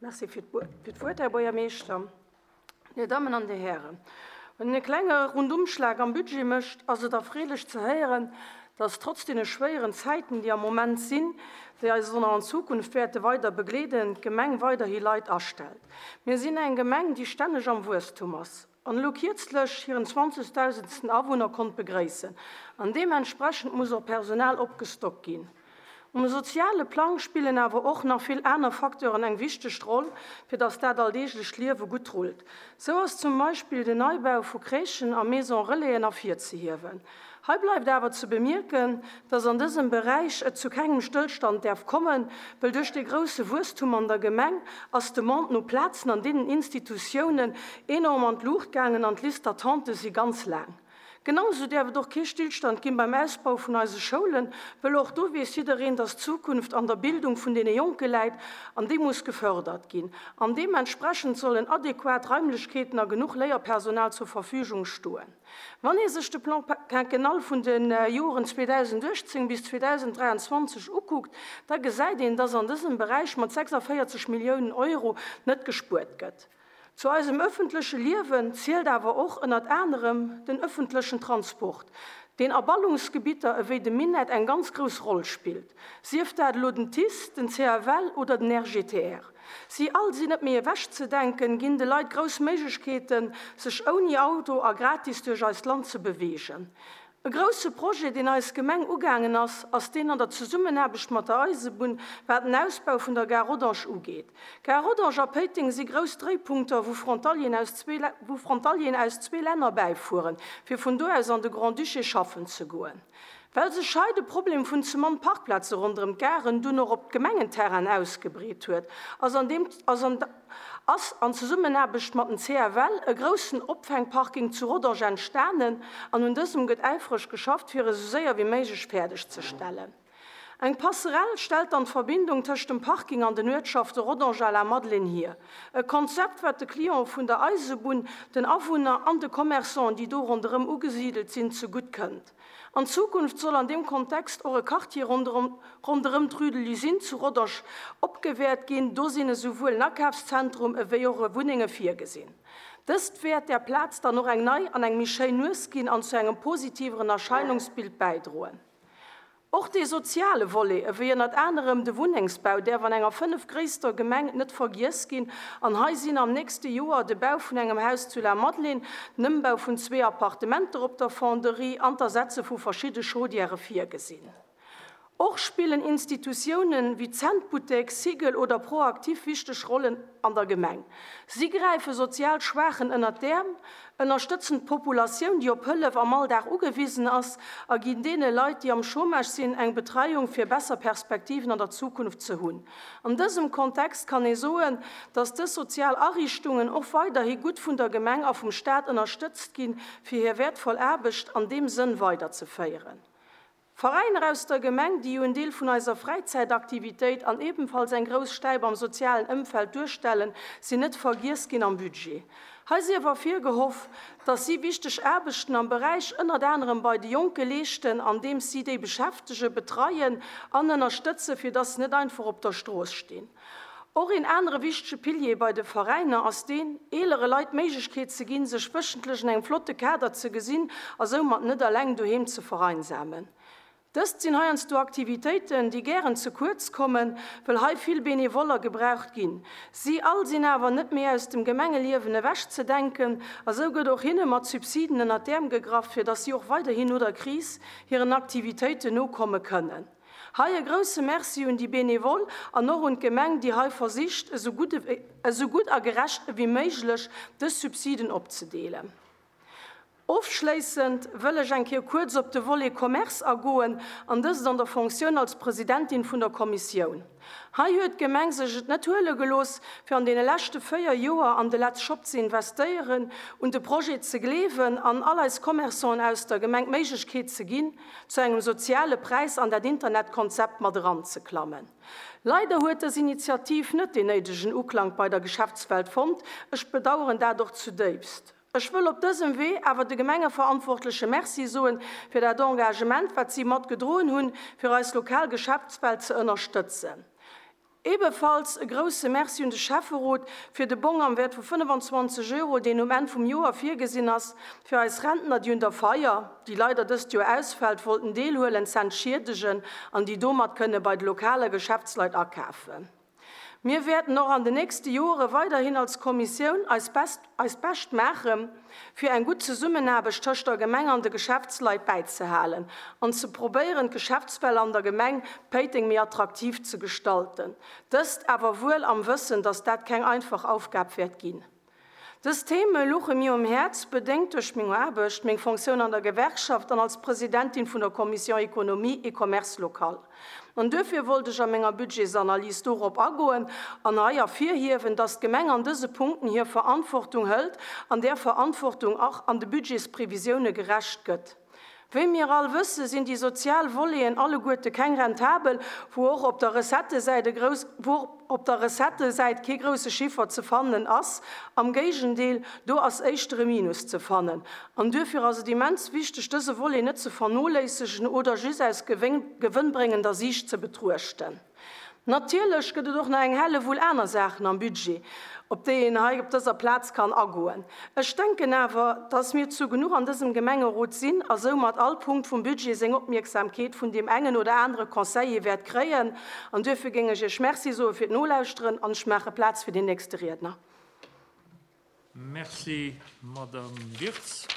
Merci fir d'Wuert, Här Buergermeeschter. Dir Dammen an Dir Hären, wann een e klenge Rundumschlag am Budget mécht, ass et erfreelech ze héieren, dass trotz deene schwéieren Zäiten, déi am Moment sinn, déi eis och nach an Zukunft wäerte weider begleeden, d'Gemeng weiderhi Leit astellt. Mir sinn eng Gemeng, déi stänneg am Wuesstum ass an elo kierzlech hiren zwanzegdausendsten Awunner konnt begréissen an deementsprechend muss och Personal opgestockt ginn. Um soziale Plang spillen awer och nach vill aner Facteuren eng wichteg Roll, fir dass dat alldeeglecht Liewe gutt rullt. Sou ass zum Beispill den Neibau vu Crèchen a Maison Relaisen ervirzehiewen. Hei bleift awer ze bemierken, dass an dësem Beräich et zu kengem Stëllstand däerf kommen, well duerch dee grousse Wuesstum an der Gemeng ass d'Demande no Plazen an deenen Institutiounen enorm an d'Luucht gaangen an d'Liste d'attente si ganz laang. Genau esou däerf et och kee Stillstand ginn beim Ausbau vun eise Schoulen, wëll och do weess jiddereen, dass d'Zukunft an der Bildung vun deene Jonke läit an déi muss gefördert ginn. An deementsprechend sollen adequat Raimlechkeeten a genuch Léierpersonal zur Verfügung stoen. Wann ee sech de Plan quinquennal vun de Joren 2018 bis 2023 ukuckt, da gesäit een, dass an dësem Beräich mat 46 Milliounen Euro net gespuert gëtt. Zu eisem ëffentleche Liewen zielt awer och ënnert anerem den ëffentlechen Transport, deen a Ballungsgebitter ewéi dem Minett eng ganz grouss Roll spillt, sief dat elo den TICE, den CFL oder den RGTR. Si all sinn net méi ewechzedenken, ginn de Leit grouss Méiglechkeeten, sech ouni Auto a gratis duerch eist Land ze beweegen. E grousse Projet, deen eis Gemeng ugaangen ass, ass deen an der Zesummenaarbecht mat der Eisebunn, wat den Ausbau vun der Gare Rodange ugeet. Gare Rodange a Péiteng si grouss Dréipunkter, wou Frontalieren aus zwee, wou Frontalieren aus zwee Länner bäifueren, fir vun do aus an de Grand-Duché schaffen ze goen. Well sech hei de Problem vun ze mann Parkplaze ronderëm d'Garen dunn och op d'Gemengenterrainen ausgebreet huet, ass an deem, ass an. Ass an Zesummenaarbecht mat den CFL e groussen Opfängparking zu Rodange entstanen an un dësem gëtt äifreg geschafft fir e sou séier wéi méiglech fäerdeg ze stellen. Eng Passerelle stellt dann d'Verbindung tëscht dem Parking an den Uertschafte Rodange a La Madeleine hier. E Konzept wat de Cliente vun der Eisebunn, den Awunner an de Commerçanten déi do ronderëm ugesidelt sinn ze gutt kënnt. An Zukunft soll an deem Kontext och e Quartier ronderëm d'Rue de l'Usine zu Rodange opgewäert ginn. Do sinn esouwuel en Akafszentrum ewéi och e Wunnenge virgesinn. Dëst wäert där Plaz dann och eng nei an eng méi schéin Nues ginn an zu engem positiveren Erscheinungsbild bäidroen. Och dee soziale Volet, ewéi ënnert anerem de Wunnengsbau, däerf an enger fënnefgréisster Gemeng net vergiess ginn. An hei sinn am nächste Joer de Bau vun engem Haus zu La Madeleine, den Ëmbau vun zwee Appartementer op der Fonderie an d'Ersetze vu verschidde Chaudièrë virgesinn. Och spillen Institutiounen wéi Zentbuttek, Sigel oder ProActif wichteg Rollen an der Gemeng. Si gräife sozial Schwaachen ënnert d'Äerm, ënnerstëtzen d'Populatioun, déi op Hëllef am Alldag ugewisen ass, a ginn deene Leit, déi am Chômage sinn, eng Betreiung, fir besser Perspektiven an der Zukunft ze hunn. An dësem Kontext kann ee soen, dass dës sozial Ariichtungen och weiderhi gutt vun der Gemeng a vum Staat ënnerstëtzt ginn, fir hir wäertvoll Aarbecht an deem Sënn weiderzeféieren. Veräiner aus der Gemeng, déi jo en Deel vun eiser Fräizäitaktivitéit an ebenfalls eng grouss Stäip am sozialen Ëmfeld duerstellen, sinn net vergiess ginn am Budget. Hei sief ervirgehoff, dass si wichteg Aarbechten am Beräich ënnert anerem bei de Jonke leeschten, andeems si déi beschäftegen, betreien an ënnerstëtzen, fir dass se net einfach op der Strooss stinn. Och een anere wichtege Pilier bei de Veräiner ass deen, eelere Leit d'Méiglechkeet ze ginn, sech wéchentlech an engem flotte Kader ze gesinn a soumat net eleng doheem ze vereinsamen. Dëst sinn heiansdo Aktivitéiten, déi gären ze kuerz kommen, wëll hei vill Benevoller gebraucht ginn. Si all sinn awer net méi aus dem Gemengeliewen ewech ze denken a sou gëtt och hinne mat Subsiden ënnert d'Äerm gegraff, fir datt si och weiderhin no der Kris hiren Aktivitéiten nokomme kënnen. Hei e grousse Merci un déi Benevole an och un d'Gemeng, déi hei versicht, esou gutt a gerecht ewéi méiglech dës Subsiden opzedeelen. Ofschléissend wëll ech eng Kéier kuerz op de Volet Commerce agoen, an dëst an der Fonctioun als Presidentin vun der Kommissioun. Hei huet d'Gemeng sech et net huele gelooss, fir an deene leschte 4 Joer an de Let's Shop ze investéieren, un de Projet ze gleewen an all eis Commerçanten aus der Gemeng d'Méiglechkeet ze ginn, zu engem soziale Präis an dat Internetkonzept mat eranzeklammen. Leider huet dës Initiativ net deen néidegen Uklank bei der Geschäftswelt fonnt. Ech bedauern dat och zudéifst. Ech wëll op dësem Wee awer de Gemengeverantwortleche Merci soen fir dat Engagement, wat si mat gedroen hunn, fir eis lokal Geschäftswelt ze ënnerstëtzen. Ebefalls e grousse Merci un de Schäfferot fir de Bong am Wäert vu 25 Euro, deen um Enn vum Joer virgesinn ass, fir eis Rentner, déi un der Feier, déi leider dëst Joer ausfält, wollten deelhuelen, z'entschiedegen an déi domat kënne bei de lokale Geschäftsleit akafen. Mir wäerten och an de nächste Joere weiderhin als Kommissioun eis Best eist Bescht maachen, fir eng gutt Zesummenaarbecht tëscht der Gemeng an de Geschäftsleit bäizehalen an ze probéieren, d'Geschäftswelt an der Gemeng Péiteng méi attraktiv ze gestalten. Dëst awer wuel am Wëssen, dass dat keng einfach Aufgab wäert ginn. Dës Theme luche mir um Häerz, bedéngt duerch meng Aarbecht, meng Fonctioun an der Gewerkschaft an als Presidentin vun der Commission Économie et Commerce local. An duerfir wollt ech a menger Budgetsanalys dorop agoen an hei ervirhiewen, dass d'Gemeng an dëse Punkten hir Verantwortung hëlt an där Verantwortung och an de Budgetsprevisioune gerecht gëtt. Wéi mir all wësse sinn déi sozial Voleten alleguerte keng rentabel, wou och op der Recettësäit e grouss, wou och op der Recettësäit kee grousse Chiffer ze fannen ass. Am Géigendeel, do ass éischter e Minus ze fannen. An duerfir ass et immens wichteg, dëse Volet net ze vernoléissegen oder just aus gewënnbréngender Siicht ze betruechten. Natierlech gëtt et och nach eng Hellewull aner Saachen am Budget, op déi een hei op dëser Plaz kann agoen. Ech denken awer, dass mir zu genuch an dësem Gemengerot sinn a soumat all Punkt vum Budget seng Opmierksamkeet vun deem engen oder anere Conseiller wäert kréien. An duerfir géing ech Iech Merci soe fir d'Nolauschteren an ech maache Plaz fir deen nächste Riedner. Merci, Madame Wirtz.